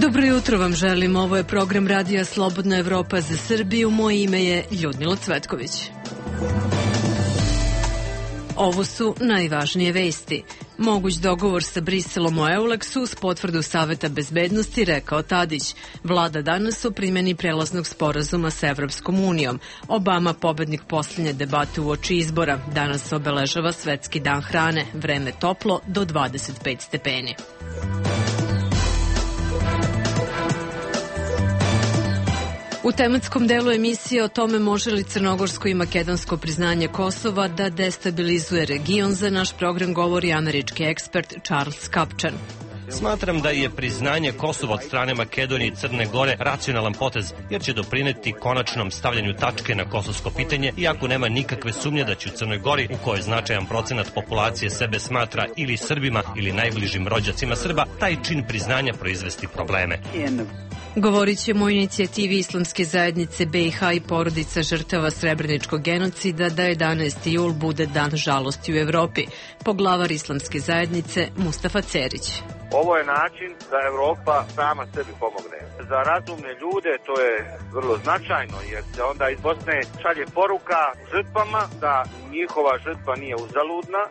Dobro jutro vam želim, ovo je program Radija Slobodna Evropa za Srbiju, moje ime je Ljudmila Cvetković. Ovo su najvažnije vesti. Moguć dogovor sa Briselom o Euleksu uz potvrdu Saveta bezbednosti, rekao Tadić. Vlada danas o primjeni prelaznog sporazuma sa Evropskom unijom. Obama, pobednik posljednje debate uoči izbora. Danas obeležava Svetski dan hrane. Vreme toplo do 25 stepeni. U tematskom delu emisije o tome može li crnogorsko i makedonsko priznanje Kosova da destabilizuje region, za naš program govori američki ekspert Charles Kupchan. Smatram da je priznanje Kosova od strane Makedonije i Crne Gore racionalan potez, jer će doprineti konačnom stavljanju tačke na kosovsko pitanje, iako nema nikakve sumnje da će u Crnoj Gori, u kojoj značajan procenat populacije sebe smatra ili Srbima ili najbližim rođacima Srba, taj čin priznanja proizvesti probleme. Govorit ćemo o inicijativi Islamske zajednice BiH i porodica žrtava Srebreničkog genocida da 11. jul bude dan žalosti u Evropi. Poglavar Islamske zajednice Mustafa Cerić. Ovo je način da Evropa sama sebi pomogne. Za razumne ljude to je vrlo značajno, jer se onda iz Bosne šalje poruka žrtvama da njihova žrtva nije uzaludna.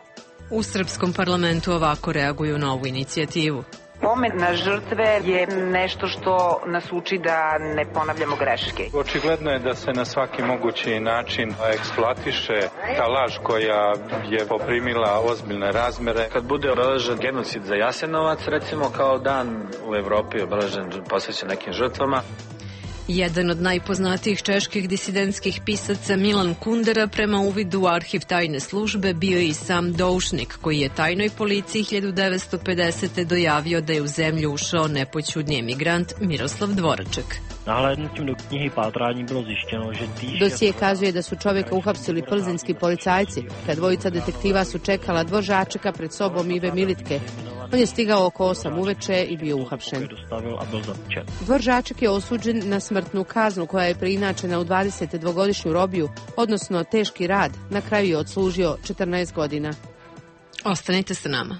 U Srpskom parlamentu ovako reaguju na ovu inicijativu. Pomen na žrtve je nešto što nas uči da ne ponavljamo greške. Očigledno je da se na svaki mogući način eksploatiše ta laž koja je poprimila ozbiljne razmere. Kad bude obeležen genocid za Jasenovac, recimo kao dan u Evropi obeležen posvećen nekim žrtvama. Jedan od najpoznatijih čeških disidentskih pisaca, Milan Kundera, prema uvidu u arhiv tajne službe bio je i sam doušnik, koji je tajnoj policiji 1950. dojavio da je u zemlju ušao nepoćudni emigrant Miroslav Dvoraček. Dosije kazuje da su čovjeka uhapsili plzeňski policajci. Kad dvojica detektiva su čekala Dvoračeka pred sobom Ive Militke. On je stigao oko 8 uveče i bio uhapšen. Dvoraček je osuđen na smrtnu kaznu koja je preinačena u 22-godišnju robiju, odnosno teški rad. Na kraju je odslužio 14 godina. Ostanite sa nama.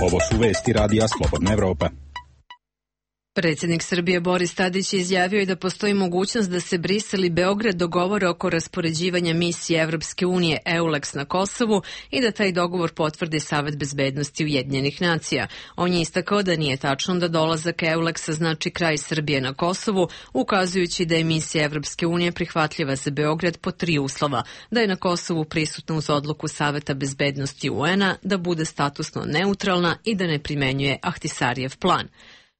Ovo su vesti Radija Slobodna Evropa. Predsjednik Srbije Boris Tadić je izjavio i da postoji mogućnost da se Brisel i Beograd dogovore oko raspoređivanja misije Evropske unije EULEX na Kosovu i da taj dogovor potvrdi Savet bezbednosti Ujedinjenih nacija. On je istakao da nije tačno da dolazak EULEX-a znači kraj Srbije na Kosovu, ukazujući da je misija Evropske unije prihvatljiva za Beograd po 3 uslova: da je na Kosovu prisutna uz odluku Saveta bezbednosti UN-a, da bude statusno neutralna i da ne primenjuje Ahtisarijev plan.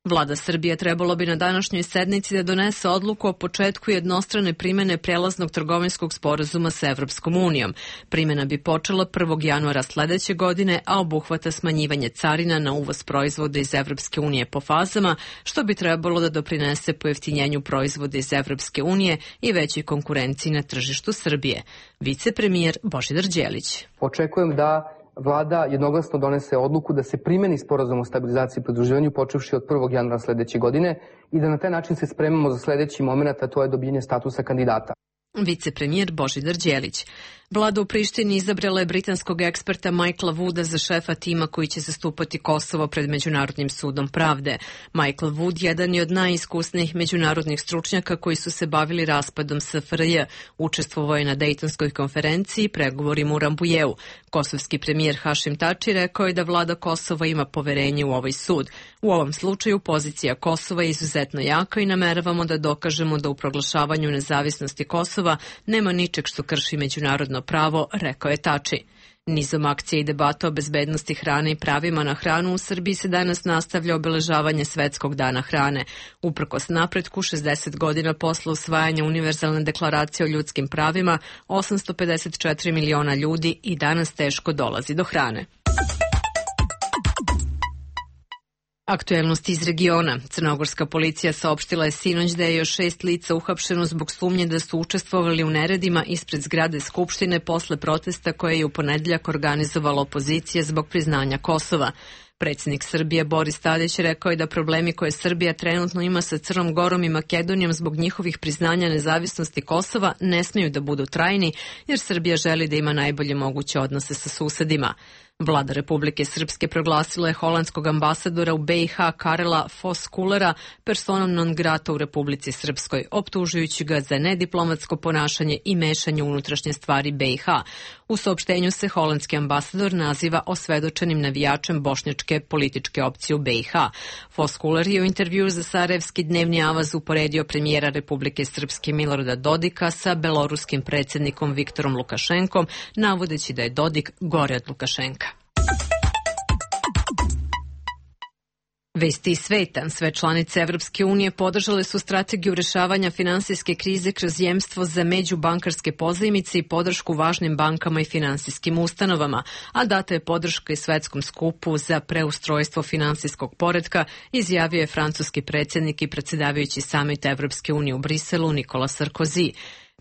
Vlada Srbije trebalo bi na današnjoj sednici da donese odluku o početku jednostrane primjene prelaznog trgovinskog sporazuma sa Evropskom unijom. Primjena bi počela 1. januara sledeće godine, a obuhvata smanjivanje carina na uvoz proizvoda iz Evropske unije po fazama, što bi trebalo da doprinese pojeftinjenju proizvoda iz Evropske unije i većoj konkurenciji na tržištu Srbije. Vicepremijer Božidar Đelić. Očekujem da Vlada jednoglasno donese odluku da se primeni sporazum o stabilizaciji i pridruživanju počevši od 1. januara sledeće godine i da na taj način se spremamo za sledeći moment, a to je dobijanje statusa kandidata. Vicepremijer Božidar Đelić. Vlada u Prištini izabrala je britanskog eksperta Michaela Wooda za šefa tima koji će zastupati Kosovo pred Međunarodnim sudom pravde. Michael Wood jedan je od najiskusnijih međunarodnih stručnjaka koji su se bavili raspadom SFRJ. Učestvovao je na Dejtonskoj konferenciji i pregovorima u Rambujeu. Kosovski premijer Hašim Tači rekao je da vlada Kosova ima poverenje u ovaj sud. U ovom slučaju pozicija Kosova je izuzetno jaka i nameravamo da dokažemo da u proglašavanju nezavisnosti Kosova nema ničeg što krši međunarodno pravo, rekao je Tači. Nizom akcija i debata o bezbednosti hrane i pravima na hranu u Srbiji se danas nastavlja obeležavanje Svetskog dana hrane. Uprkos napretku, 60 godina posle usvajanja Univerzalne deklaracije o ljudskim pravima, 854 miliona ljudi i danas teško dolazi do hrane. Aktuelnosti iz regiona. Crnogorska policija saopštila je sinoć da je još 6 lica uhapšeno zbog sumnje da su učestvovali u neredima ispred zgrade Skupštine posle protesta koje je u ponedeljak organizovala opozicija zbog priznanja Kosova. Predsjednik Srbije Boris Tadić rekao je da problemi koje Srbija trenutno ima sa Crnom Gorom i Makedonijom zbog njihovih priznanja nezavisnosti Kosova ne smeju da budu trajni, jer Srbija želi da ima najbolje moguće odnose sa susedima. Vlada Republike Srpske proglasila je holandskog ambasadora u BiH Karela Voskullera personom non grata u Republici Srpskoj, optužujući ga za nediplomatsko ponašanje i mešanje u unutrašnje stvari BiH. U saopštenju se holandski ambasador naziva osvedočenim navijačem bošnjačke političke opcije u BiH. Voskuller je u intervjuu za Sarajevski dnevni avaz uporedio premijera Republike Srpske Milorada Dodika sa beloruskim predsjednikom Viktorom Lukašenkom, navodeći da je Dodik gore od Lukašenka. Vesti iz sveta. Sve članice Evropske unije podržale su strategiju rešavanja finansijske krize kroz jemstvo za međubankarske pozajmice i podršku važnim bankama i finansijskim ustanovama, a data je podrška i svetskom skupu za preustrojstvo finansijskog poretka, izjavio je francuski predsjednik i predsjedavajući samit Evropske unije u Briselu Nikola Sarkozy.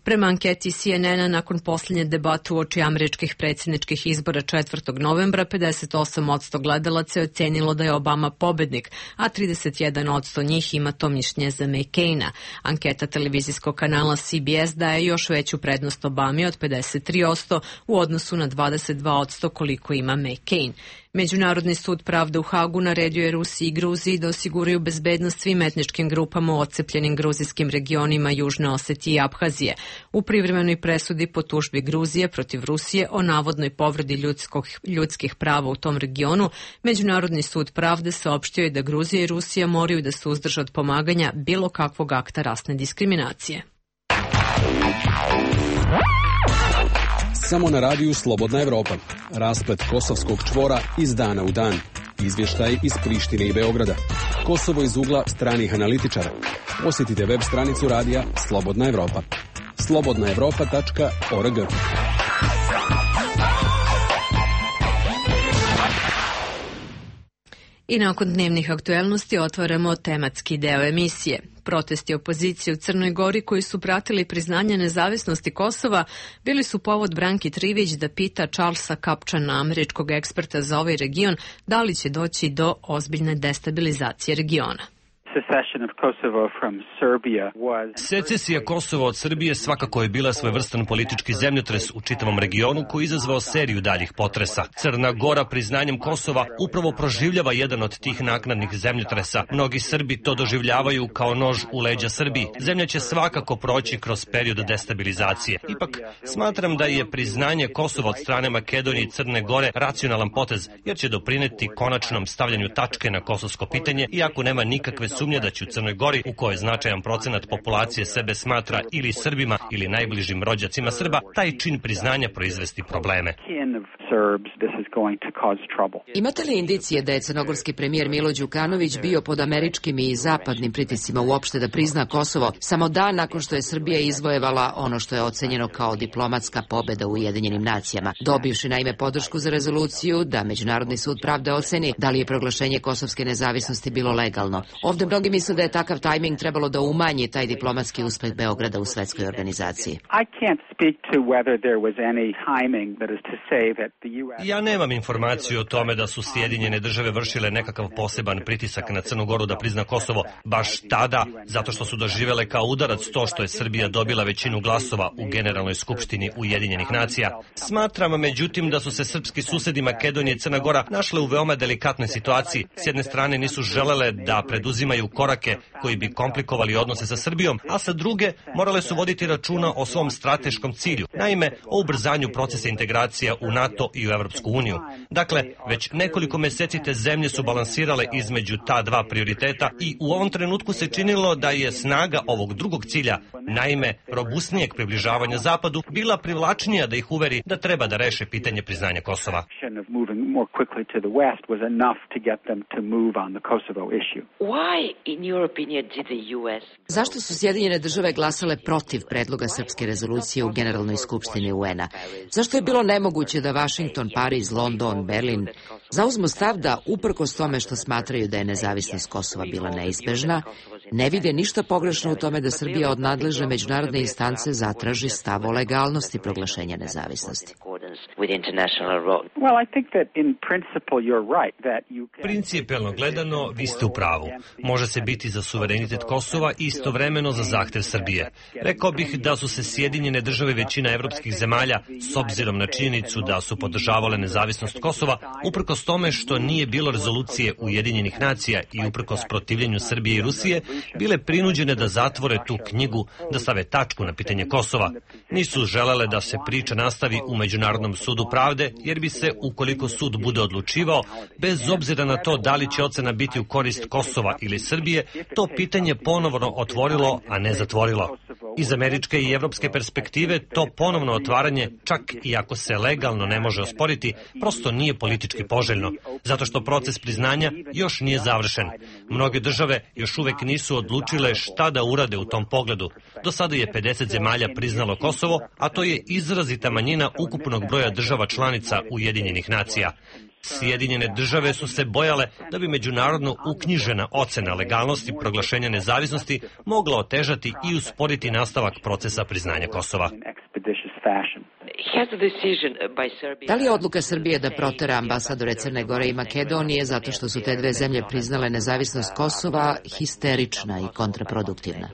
Prema anketi CNN-a, nakon posljednje debate uoči američkih predsjedničkih izbora 4. novembra, 58% gledalaca je ocenilo da je Obama pobednik, a 31% njih ima to mišljenje za McCaina. Anketa televizijskog kanala CBS daje još veću prednost Obami od 53% u odnosu na 22% koliko ima McCain. Međunarodni sud pravde u Hagu naredio je Rusiji i Gruziji da osiguraju bezbednost svim etničkim grupama u odcepljenim gruzijskim regionima Južne Osetije i Abhazije. U privremenoj presudi po tužbi Gruzije protiv Rusije o navodnoj povredi ljudskih prava u tom regionu, Međunarodni sud pravde saopštio je da Gruzija i Rusija moraju da se uzdrže od pomaganja bilo kakvog akta rasne diskriminacije. Samo na radiju Slobodna Evropa. Rasplet kosovskog čvora iz dana u dan. Izvještaj iz Prištine i Beograda. Kosovo iz ugla stranih analitičara. Posjetite web stranicu radija Slobodna Evropa. slobodnaevropa.org. I nakon dnevnih aktuelnosti otvaramo tematski deo emisije. Protesti opozicije u Crnoj Gori koji su pratili priznanje nezavisnosti Kosova bili su povod Branki Trivić da pita Charlesa Kapčana, američkog eksperta za ovaj region, da li će doći do ozbiljne destabilizacije regiona. Secesija Kosova od Srbije svakako je bila svojevrstan politički zemljotres u čitavom regionu koji je izazvao seriju daljih potresa. Crna Gora priznanjem Kosova upravo proživljava jedan od tih naknadnih zemljotresa. Mnogi Srbi to doživljavaju kao nož u leđa Srbiji. Zemlja će svakako proći kroz period destabilizacije. Ipak, smatram da je priznanje Kosova od strane Makedonije i Crne Gore racionalan potez, jer će doprineti konačnom stavljanju tačke na kosovsko pitanje, iako nema nikakve sumnje da će u Crnoj Gori, u kojoj značajan procenat populacije sebe smatra ili Srbima ili najbližim rođacima Srba, taj čin priznanja proizvesti probleme. Imate li indicije da je crnogorski premijer Milo Đukanović bio pod američkim i zapadnim pritiscima uopšte da prizna Kosovo samo dan nakon što je Srbija izvojevala ono što je ocenjeno kao diplomatska pobeda u Ujedinjenim nacijama, dobivši naime podršku za rezoluciju da Međunarodni sud pravde oceni da li je proglašenje kosovske nezavisnosti bilo legalno. Ovde mnogi misle da je takav tajming trebalo da umanji taj diplomatski uspeh Beograda u svetskoj organizaciji. Ja nemam informaciju o tome da su Sjedinjene države vršile nekakav poseban pritisak na Crnu Goru da prizna Kosovo baš tada, zato što su doživele kao udarac to što je Srbija dobila većinu glasova u Generalnoj skupštini Ujedinjenih nacija. Smatram, međutim, da su se srpski susedi Makedonije i Crna Gora našle u veoma delikatnoj situaciji. S jedne strane nisu želele da preduzimaju korake koji bi komplikovali odnose sa Srbijom, a sa druge morale su voditi računa o svom strateškom cilju, naime o ubrzanju procesa integracija u NATO i u Evropsku uniju. Dakle, već nekoliko meseci te zemlje su balansirale između ta dva prioriteta i u ovom trenutku se činilo da je snaga ovog drugog cilja, naime robusnijeg približavanja Zapadu, bila privlačnija da ih uveri da treba da reše pitanje priznanja Kosova. Zašto su Sjedinjene države glasale protiv predloga srpske rezolucije u Generalnoj skupštini UN-a? Zašto je bilo nemoguće da Vašington, Pariz, London, Berlin zauzmu stav da, uprkos tome što smatraju da je nezavisnost Kosova bila neizbežna, ne vide ništa pogrešno u tome da Srbija od nadležne međunarodne instance zatraži stav o legalnosti proglašenja nezavisnosti? Principijelno gledano, vi ste u pravu. Može se biti za suverenitet Kosova i istovremeno za zahtev Srbije. Rekao bih da su se Sjedinjene države većina evropskih zemalja, s obzirom na činjenicu da su podržavale nezavisnost Kosova, uprkos tome što nije bilo rezolucije Ujedinjenih nacija i uprkos protivljenju Srbije i Rusije, bile prinuđene da zatvore tu knjigu, da stave tačku na pitanje Kosova. Nisu želele da se priča nastavi u Međunarodnom sudu pravde, jer bi se, ukoliko sud bude odlučivao, bez obzira na to da li će ocena biti u korist Kosova ili Srbije, to pitanje ponovno otvorilo, a ne zatvorilo. Iz američke i evropske perspektive to ponovno otvaranje, čak i ako se legalno ne može osporiti, prosto nije politički poželjno, zato što proces priznanja još nije završen. Mnoge države još uvek nisu odlučile šta da urade u tom pogledu. Do sada je 50 zemalja priznalo Kosovo, a to je izrazita manjina ukupnog broja država članica Ujedinjenih nacija. Sjedinjene države su se bojale da bi međunarodno uknjižena ocena legalnosti proglašenja nezavisnosti mogla otežati i usporiti nastavak procesa priznanja Kosova. Da li je odluka Srbije da protera ambasadore Crne Gore i Makedonije zato što su te dve zemlje priznale nezavisnost Kosova histerična i kontraproduktivna?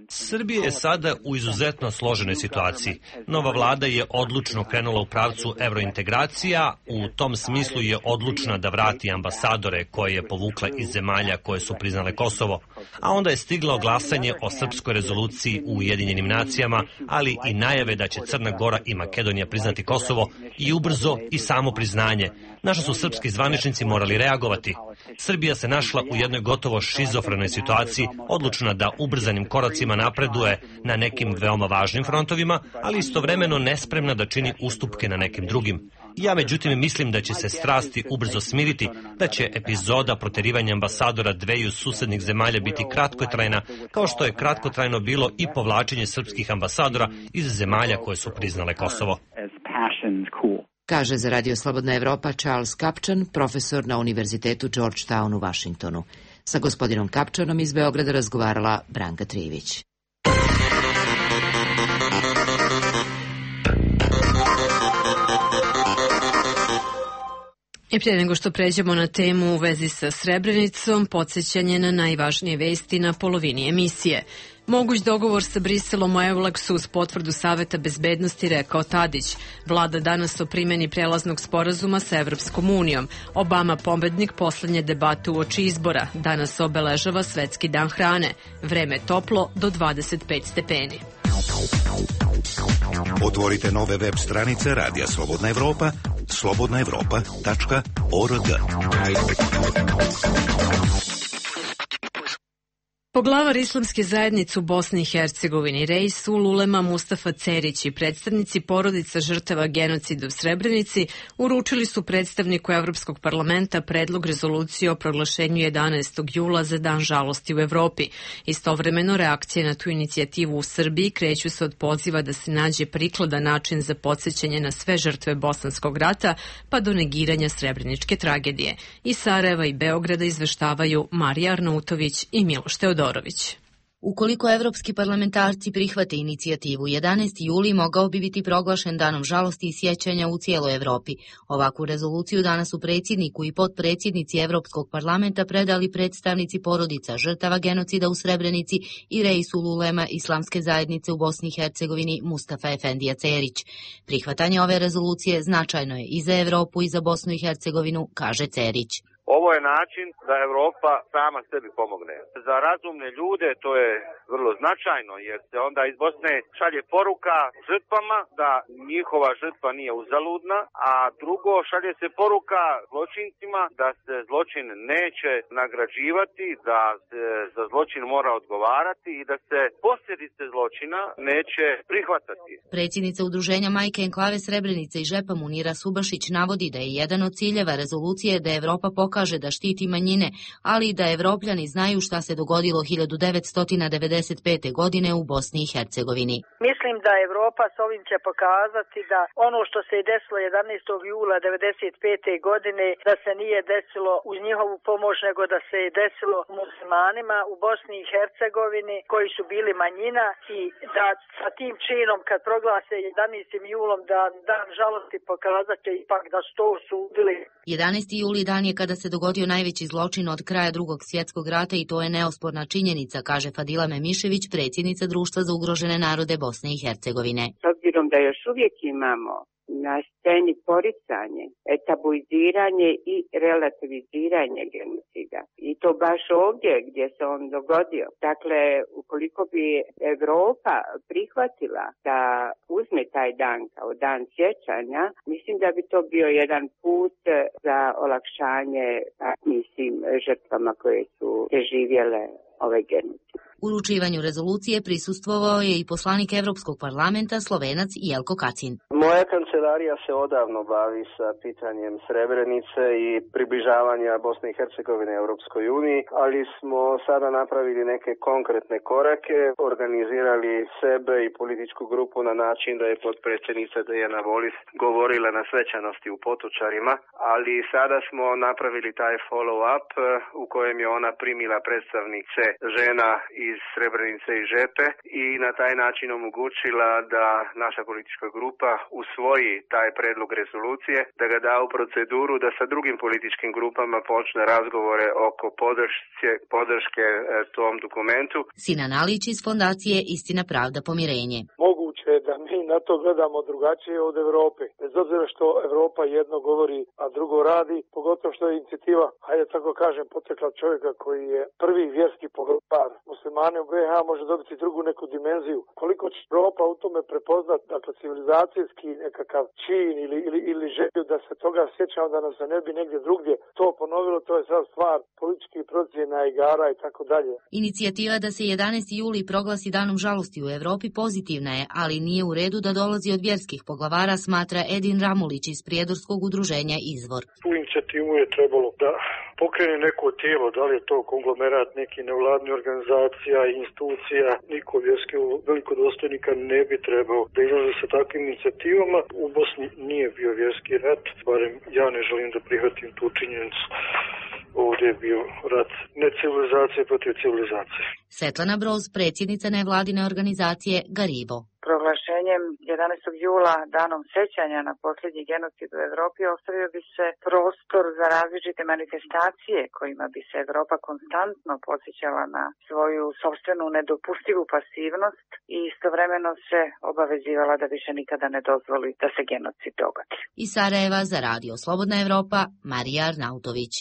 Srbija je sada u izuzetno složenoj situaciji. Nova vlada je odlučno krenula u pravcu evrointegracija, u tom smislu je odlučna da vrati ambasadore koje je povukla iz zemalja koje su priznale Kosovo, a onda je stiglo glasanje o srpskoj rezoluciji u Ujedinjenim nacijama, ali i najave da će Crna Gora i Makedonija priznati Kosovo i ubrzo i samo priznanje, na što su srpski zvaničnici morali reagovati. Srbija se našla u jednoj gotovo šizofrenoj situaciji, odlučna da ubrzanim koracima napreduje na nekim veoma važnim frontovima, ali istovremeno nespremna da čini ustupke na nekim drugim. Ja međutim mislim da će se strasti ubrzo smiriti, da će epizoda proterivanja ambasadora dveju susednih zemalja biti kratkotrajna, kao što je kratkotrajno bilo i povlačenje srpskih ambasadora iz zemalja koje su priznale Kosovo. Kaže za Radio Slobodna Evropa Charles Kapčan, profesor na Univerzitetu Georgetown u Vašingtonu. Sa gospodinom Kapčanom iz Beograda razgovarala Branka Trivić. I prije nego što pređemo na temu u vezi sa Srebrenicom, podsjećanje na najvažnije vesti na polovini emisije. Moguć dogovor sa Briselom o Euleksu uz potvrdu Saveta bezbednosti, rekao Tadić. Vlada danas o primjeni prelaznog sporazuma sa Evropskom unijom. Obama pobednik poslednje debate uoči izbora. Danas obeležava Svetski dan hrane. Vreme toplo do 25 stepeni. Otvorite nove web stranice Radija Slobodna Evropa, slobodnaevropa.org. Poglavar Islamske zajednice u Bosni i Hercegovini, Reisul Ulema Mustafa Cerić i predstavnici porodica žrtava genocida u Srebrenici uručili su predstavniku Evropskog parlamenta predlog rezolucije o proglašenju 11. jula za dan žalosti u Evropi. Istovremeno, reakcije na tu inicijativu u Srbiji kreću se od poziva da se nađe prikladan način za podsjećanje na sve žrtve Bosanskog rata, pa do negiranja srebreničke tragedije. Iz Sarajeva i Beograda izveštavaju Marija Arnautović i Miloš Teodorović. Ukoliko evropski parlamentarci prihvate inicijativu, 11. juli mogao bi biti proglašen danom žalosti i sjećanja u cijeloj Evropi. Ovakvu rezoluciju danas su predsjedniku i potpredsjednici Evropskog parlamenta predali predstavnici porodica žrtava genocida u Srebrenici i Reisul Ulema Islamske zajednice u Bosni i Hercegovini Mustafa Efendija Cerić. Prihvatanje ove rezolucije značajno je i za Evropu i za Bosnu i Hercegovinu, kaže Cerić. Ovo je način da Evropa sama sebi pomogne. Za razumne ljude to je vrlo značajno, jer se onda iz Bosne šalje poruka žrtvama da njihova žrtva nije uzaludna, a drugo šalje se poruka zločincima da se zločin neće nagrađivati, da se za zločin mora odgovarati i da se posljedice zločina neće prihvatati. Predsjednica udruženja Majke Enklave Srebrenice i Žepa Munira Subašić navodi da je jedan od ciljeva rezolucije da Evropa pokaže pokaže da štiti manjine, ali i da Evropljani znaju šta se dogodilo 1995. godine u Bosni i Hercegovini. Mislim da Evropa s ovim će pokazati da ono što se je desilo 11. jula 1995. godine da se nije desilo uz njihovu pomoć, nego da se je desilo muslimanima u Bosni i Hercegovini koji su bili manjina i da sa tim činom kad proglase 11. julom da dan žalosti pokazat će ipak da su to osudili. 11. juli dan je kada se dogodio najveći zločin od kraja Drugog svjetskog rata i to je neosporna činjenica, kaže Fadila Memišević, predsjednica Društva za ugrožene narode Bosne i Hercegovine. S obzirom da još uvijek imamo na sceni poricanje, tabuiziranje i relativiziranje genocida. I to baš ovdje gdje se on dogodio. Dakle, ukoliko bi Evropa prihvatila da uzme taj dan kao dan sjećanja, mislim da bi to bio jedan put za olakšanje mislim žrtvama koje su preživjele ove genocide. Uručivanju rezolucije prisustvovao je i poslanik Evropskog parlamenta Slovenac Jelko Kacin. Moja kancelarija se odavno bavi sa pitanjem Srebrenice i približavanja Bosne i Hercegovine Europskoj uniji, ali smo sada napravili neke konkretne korake, organizirali sebe i političku grupu na način da je potpredsjednica Dijana Volis govorila na svečanosti u Potočarima, ali sada smo napravili taj follow-up u kojem je ona primila predstavnice žena iz Srebrenice i Žepe i na taj način omogućila da naša politička grupa usvoji taj predlog rezolucije, da ga da u proceduru, da sa drugim političkim grupama počne razgovore oko podrške tom dokumentu. Sinan Alić iz fondacije Istina, pravda, pomirenje. Moguće je da mi na to gledamo drugačije od Evrope. Bez obzira što Evropa jedno govori, a drugo radi, pogotovo što je inicijativa, hajde tako kažem, potekla čovjeka koji je prvi vjerski poglavar muslimane u BiH može dobiti drugu neku dimenziju. Koliko će Evropa u tome prepoznat, dakle civilizacijski nekakav čin ili želju da se toga sjećamo da nam se ne bi negdje drugdje to ponovilo, to je sad stvar političkih procjena, igara i tako dalje. Inicijativa da se 11. juli proglasi danom žalosti u Evropi pozitivna je, ali nije u redu da dolazi od vjerskih poglavara, smatra Edin Ramulić iz prijedorskog udruženja Izvor. Tu inicijativu je trebalo da pokrene neko tijelo, da li je to konglomerat neki nevladni organizacija i institucija, niko vjerski velikodostojnika ne bi trebao da izlaze sa takvim inicijativama. U Bosni nije bio vjerski rat, barem ja ne želim da prihvatim tu činjenicu. Ovdje je bio rat ne civilizacije protiv civilizacije. Svetlana Broz, predsjednica nevladine organizacije Garibo. Proglašenjem 11. jula danom sećanja na posljednji genocid u Evropi ostavio bi se prostor za različite manifestacije kojima bi se Evropa konstantno podsjećala na svoju sopstvenu nedopustivu pasivnost i istovremeno se obavezivala da više nikada ne dozvoli da se genocid dogodi. Iz Sarajeva za Radio Slobodna Evropa, Marija Arnautović.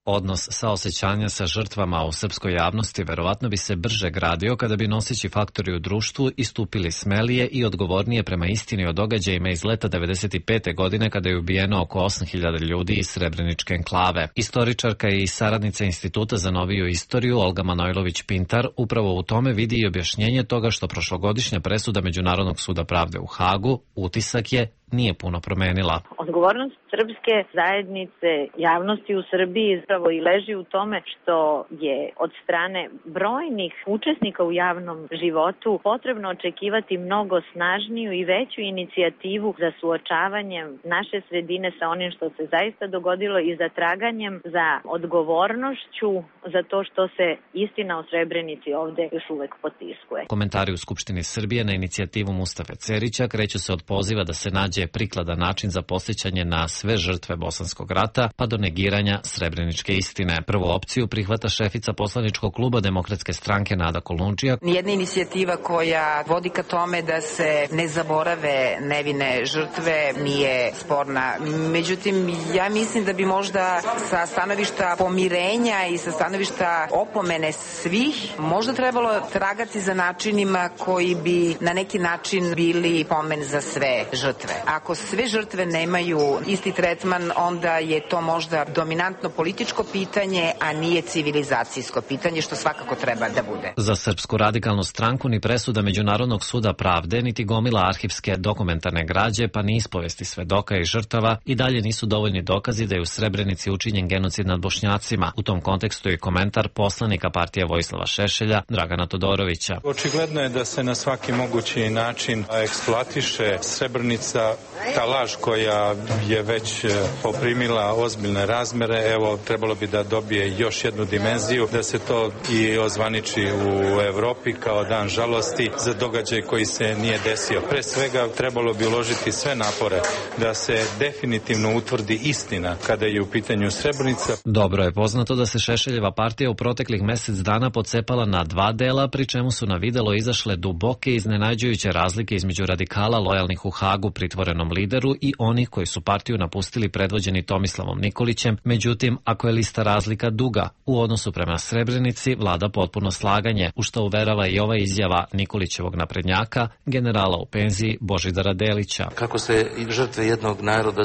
Odnos saosećanja sa žrtvama u srpskoj javnosti verovatno bi se brže gradio kada bi noseći faktori u društvu istupili smelije i odgovornije prema istini o događajima iz leta 1995. godine kada je ubijeno oko 8.000 ljudi iz Srebreničke enklave. Istoričarka i saradnica Instituta za noviju istoriju Olga Manojlović-Pintar upravo u tome vidi i objašnjenje toga što prošlogodišnja presuda Međunarodnog suda pravde u Hagu utisak je nije puno promenila. Odgovornost srpske zajednice, javnosti u Srbiji zapravo i leži u tome što je od strane brojnih učesnika u javnom životu potrebno očekivati mnogo snažniju i veću inicijativu za suočavanjem naše sredine sa onim što se zaista dogodilo i za traganjem za odgovornošću za to što se istina o Srebrenici ovde još uvek potiskuje. Komentari u Skupštini Srbije na inicijativu Mustafe Cerića kreću se od poziva da se nađe prikladan način za posjećanje na sve žrtve Bosanskog rata, pa do negiranja srebreničke istine. Prvu opciju prihvata šefica poslaničkog kluba Demokratske stranke Nada Kolundžija. Nijedna inicijativa koja vodi ka tome da se ne zaborave nevine žrtve nije sporna. Međutim, ja mislim da bi možda sa stanovišta pomirenja i sa stanovišta opomene svih možda trebalo tragati za načinima koji bi na neki način bili pomen za sve žrtve. Ako sve žrtve nemaju isti tretman, onda je to možda dominantno političko pitanje, a nije civilizacijsko pitanje, što svakako treba da bude. Za Srpsku radikalnu stranku ni presuda Međunarodnog suda pravde, niti gomila arhivske dokumentarne građe, pa ni ispovesti svedoka i žrtava i dalje nisu dovoljni dokazi da je u Srebrenici učinjen genocid nad Bošnjacima. U tom kontekstu je komentar poslanika partije Vojislava Šešelja, Dragana Todorovića. Očigledno je da se na svaki mogući način eksploatiše Srebrenica, ta laž koja je već poprimila ozbiljne razmere. Evo, trebalo bi da dobije još jednu dimenziju, da se to i ozvaniči u Evropi kao dan žalosti za događaj koji se nije desio. Pre svega trebalo bi uložiti sve napore da se definitivno utvrdi istina kada je u pitanju Srebrenica. Dobro je poznato da se Šešeljeva partija u proteklih mesec dana pocepala na dva dela, pri čemu su na videlo izašle duboke i iznenađujuće razlike između radikala lojalnih u Hagu pritvorenom lideru i onih koji su partiju napustili predvođeni Tomislavom Nikolićem. Međutim, ako je lista razlika duga, u odnosu prema Srebrenici vlada potpuno slaganje, u što uverava i ova izjava Nikolićevog naprednjaka, generala u penziji Božidara Delića. Kako se žrtve jednog naroda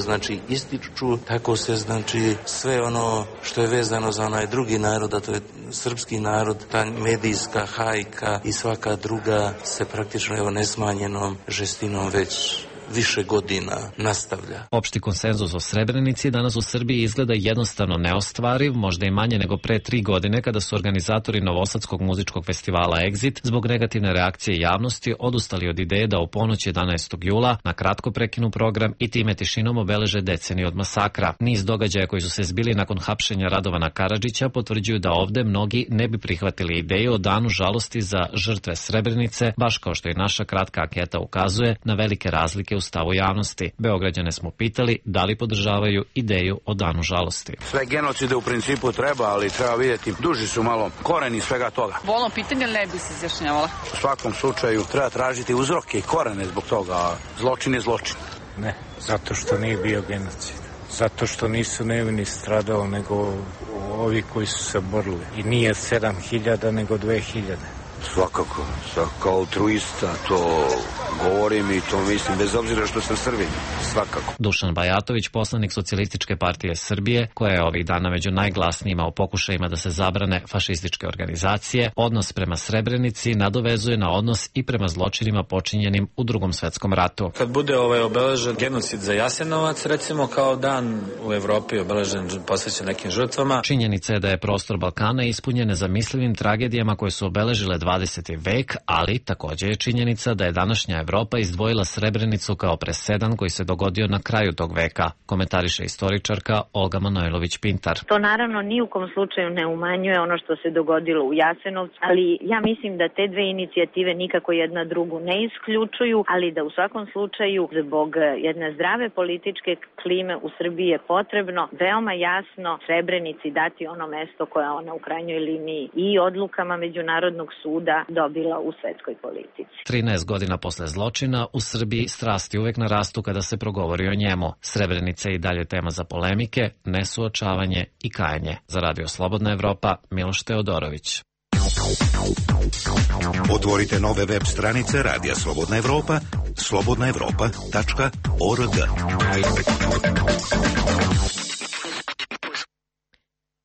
ističu, tako se sve ono što je vezano za onaj drugi narod, a to je srpski narod, ta medijska hajka i svaka druga se praktično nesmanjenom žestinom već više godina nastavlja. Opšti konsenzus o Srebrenici danas u Srbiji izgleda jednostavno neostvariv, možda i manje nego pre 3 godine kada su organizatori Novosadskog muzičkog festivala Exit zbog negativne reakcije javnosti odustali od ideje da u ponoć 11. jula na kratko prekinu program i time tišinom obeleže deceniju od masakra. Niz događaja koji su se zbili nakon hapšenja Radovana Karadžića potvrđuju da ovde mnogi ne bi prihvatili ideju o danu žalosti za žrtve Srebrenice, baš kao što i naša kratka anketa ukazuje na velike razlike u stavu javnosti. Beograđane smo pitali da li podržavaju ideju o danu žalosti. Sve genocide u principu treba, ali treba vidjeti, duži su malo koreni svega toga. Bolno pitanje, ne bi se izjašnjavala. U svakom slučaju treba tražiti uzroke i korene zbog toga. Zločin je zločin. Ne, zato što nije bio genocid. Zato što nisu nevini stradao, nego ovi koji su se borili. I nije 7000, nego 2000. Svakako, kao altruista to govorim i to mislim bez obzira što sam Srbin, svakako. Dušan Bajatović, poslanik Socijalističke partije Srbije, koja je ovih dana među najglasnijima u pokušajima da se zabrane fašističke organizacije, odnos prema Srebrenici nadovezuje na odnos i prema zločinima počinjenim u Drugom svetskom ratu. Kad bude obeležen genocid za Jasenovac, recimo kao dan u Evropi obeležen posvećen nekim žrtvama. Činjenica je da je prostor Balkana ispunjen nezamislivim tragedijama koje su obeležile 20. vek, ali također je činjenica da je današnja Evropa izdvojila Srebrenicu kao presedan koji se dogodio na kraju tog veka, komentariše istoričarka Olga Manojlović-Pintar. To naravno ni u kom slučaju ne umanjuje ono što se dogodilo u Jasenovcu, ali ja mislim da te dve inicijative nikako jedna drugu ne isključuju, ali da u svakom slučaju zbog jedne zdrave političke klime u Srbiji je potrebno veoma jasno Srebrenici dati ono mesto koje ona u krajnjoj liniji i odlukama Međunarodnog suda dobila u svetskoj politici. 13 godina posle zločina u Srbiji strasti uvek narastu kada se progovori o njemu. Srebrenica je i dalje tema za polemike, nesuočavanje i kajanje. Za Radio Slobodna Evropa, Miloš Teodorović. Otvorite nove web stranice Radija Slobodna Evropa, slobodnaevropa.org.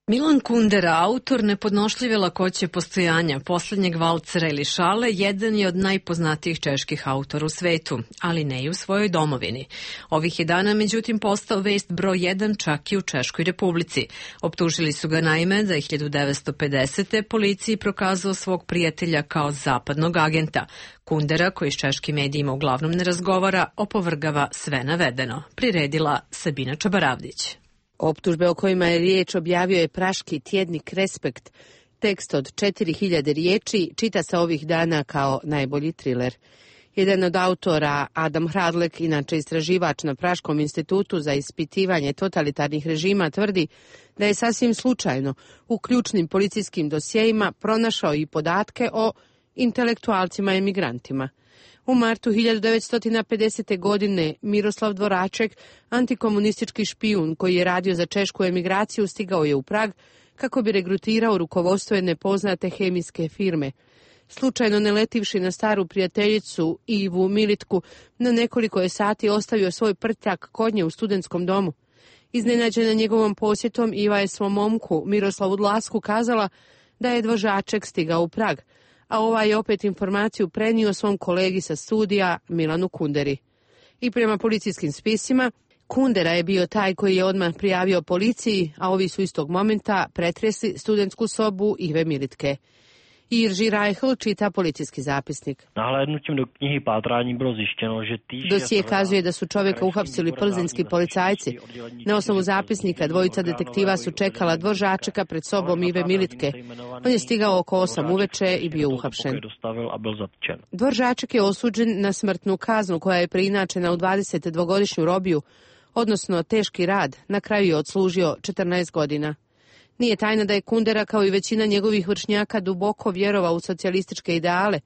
Milan Kundera, autor nepodnošljive lakoće postojanja, posljednjeg valcera ili šale, jedan je od najpoznatijih čeških autora u svetu, ali ne i u svojoj domovini. Ovih je dana, međutim, postao vest broj 1 čak i u Češkoj Republici. Optužili su ga naime da je 1950. policiji prokazao svog prijatelja kao zapadnog agenta. Kundera, koji s češkim medijima uglavnom ne razgovara, opovrgava sve navedeno. Priredila Sabina Čabaravdić. Optužbe o kojima je riječ objavio je praški tjednik Respekt. Tekst od 4000 riječi čita se ovih dana kao najbolji triler. Jedan od autora, Adam Hradlek, inače istraživač na Praškom institutu za ispitivanje totalitarnih režima, tvrdi da je sasvim slučajno u ključnim policijskim dosjejima pronašao i podatke o intelektualcima emigrantima. U martu 1950. godine Miroslav Dvoraček, antikomunistički špijun koji je radio za češku emigraciju, stigao je u Prag kako bi regrutirao rukovodstvo jedne poznate hemijske firme. Slučajno ne letivši na staru prijateljicu Ivu Militku, na nekoliko je sati ostavio svoj prtljak kod nje u studentskom domu. Iznenađena njegovom posjetom, Iva je svom momku Miroslavu Dlasku kazala da je dvožaček stigao u Prag, a ovaj je opet informaciju prenio svom kolegi sa studija Milanu Kunderi. I prema policijskim spisima, Kundera je bio taj koji je odmah prijavio policiji, a ovi su istog momenta pretresli studentsku sobu Ive Militke. Jiří Reichl čita policijski zapisnik. Nahlédnutím do knjihy pátrání bylo zjištěno, že dosije kazuje da su čovjeka uhapsili plzeňski policajci. Na osnovu zapisnika dvojica detektiva su čekala dvožačeka pred sobom Ive Militke. On je stigao oko 8 uveče i bio uhapšen. Dvožaček je osuđen na smrtnu kaznu koja je preinačena u 22-godišnju robiju, odnosno teški rad. Na kraju je odslužio 14 godina. Nije tajna da je Kundera, kao i većina njegovih vršnjaka, duboko vjerovao u socijalističke ideale.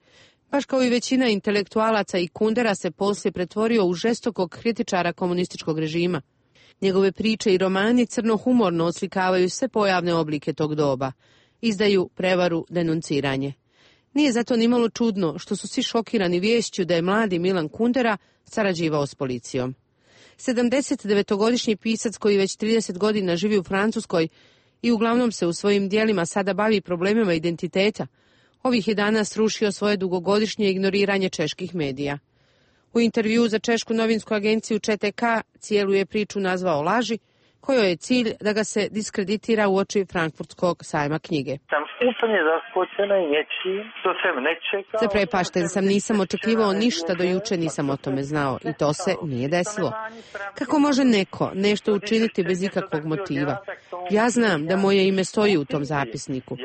Baš kao i većina intelektualaca, i Kundera se poslije pretvorio u žestokog kritičara komunističkog režima. Njegove priče i romani crno-humorno oslikavaju sve pojavne oblike tog doba. Izdaju, prevaru, denunciranje. Nije zato nimalo čudno što su svi šokirani viješću da je mladi Milan Kundera sarađivao s policijom. 79-godišnji pisac koji već 30 godina živi u Francuskoj i uglavnom se u svojim dijelima sada bavi problemima identiteta, ovih je dana srušio svoje dugogodišnje ignoriranje čeških medija. U intervjuu za češku novinsku agenciju ČTK cijelu je priču nazvao laži, kojoj je cilj da ga se diskreditira u oči Frankfurtskog sajma knjige. Zaprepašten sam, nisam očekivao ništa, do juče nisam o tome znao i to se nije desilo. Kako može neko nešto učiniti bez ikakvog motiva? Ja znam da moje ime stoji u tom zapisniku,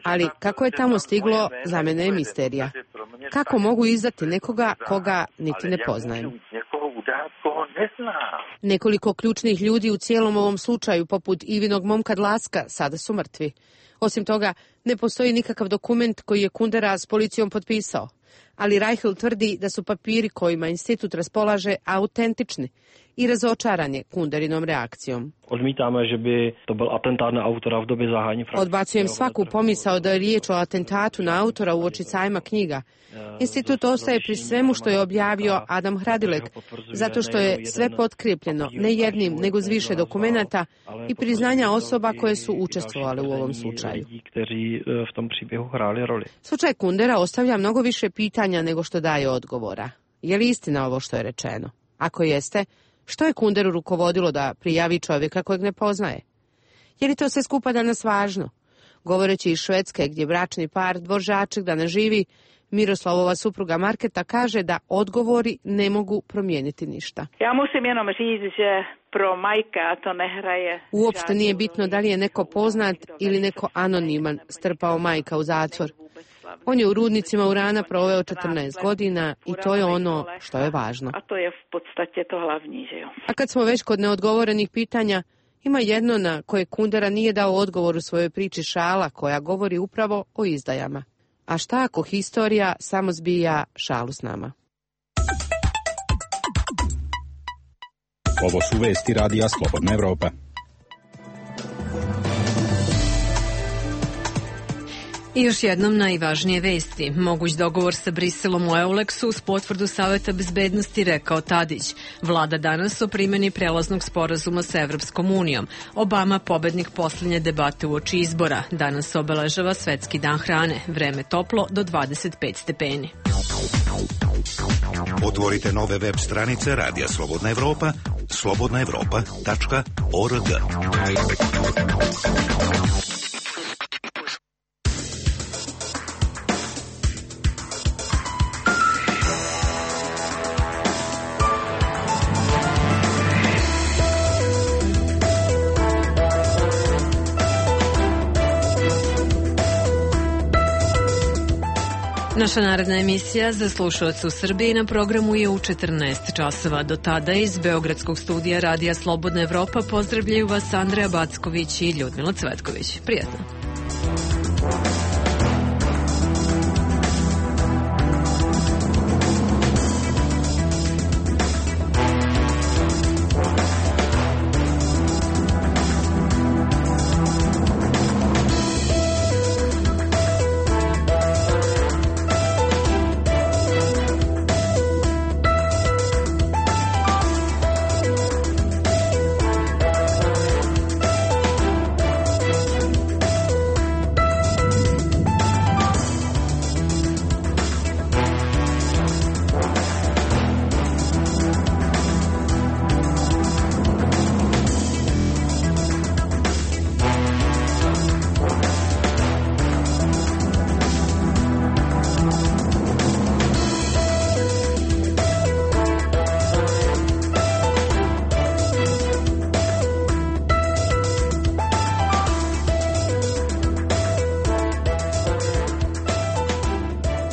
ali kako je tamo stiglo, za mene je misterija. Kako mogu izdati nekoga koga niti ne poznajem? Nekoliko ključnih ljudi u cijelom ovom slučaju, poput Ivinog momka Dlaska, sada su mrtvi. Osim toga, ne postoji nikakav dokument koji je Kundera s policijom potpisao. Ali Reichl tvrdi da su papiri kojima institut raspolaže autentični i razočaran je Kunderinom reakcijom. Odbacujem svaku pomisao da je riječ o atentatu na autora uoči sajma knjiga. Institut ostaje pri svemu što je objavio Adam Hradilek, zato što je sve potkrijepljeno, ne jednim, nego s više dokumenata i priznanja osoba koje su učestvovale u ovom slučaju. Slučaj Kundera ostavlja mnogo više pitanja nego što daje odgovora. Je li istina ovo što je rečeno? Ako jeste, što je Kunderu rukovodilo da prijavi čovjeka kojeg ne poznaje? Je li to sve skupa danas važno? Govoreći iz Švedske, gdje bračni par dvožaček danas živi, Miroslavova supruga Marketa kaže da odgovori ne mogu promijeniti ništa. Uopšte nije bitno da li je neko poznat ili neko anoniman, strpao majka u zatvor. On je u rudnicima urana proveo 14 godina i to je ono što je važno. A kad smo već kod neodgovorenih pitanja, ima jedno na koje Kundera nije dao odgovor u svojoj priči Šala, koja govori upravo o izdajama. A šta ako historija samo zbija šalu s nama? Ovo su vesti Radija Slobodna Evropa. I još jednom najvažnije vesti. Moguć dogovor sa Briselom u Euleksu uz potvrdu Saveta bezbednosti, rekao Tadić. Vlada danas o primjeni prelaznog sporazuma sa Evropskom unijom. Obama pobednik posljednje debate uoči izbora. Danas obeležava Svetski dan hrane. Vreme toplo do 25 stepeni. Otvorite nove web stranice Radija Slobodna Evropa, slobodnaevropa.org. Naša naredna emisija za slušalce u Srbiji na programu je u 14 časova. Do tada iz Beogradskog studija Radija Slobodna Evropa pozdravljaju vas Andreja Backović i Ljudmila Cvetković. Prijatno.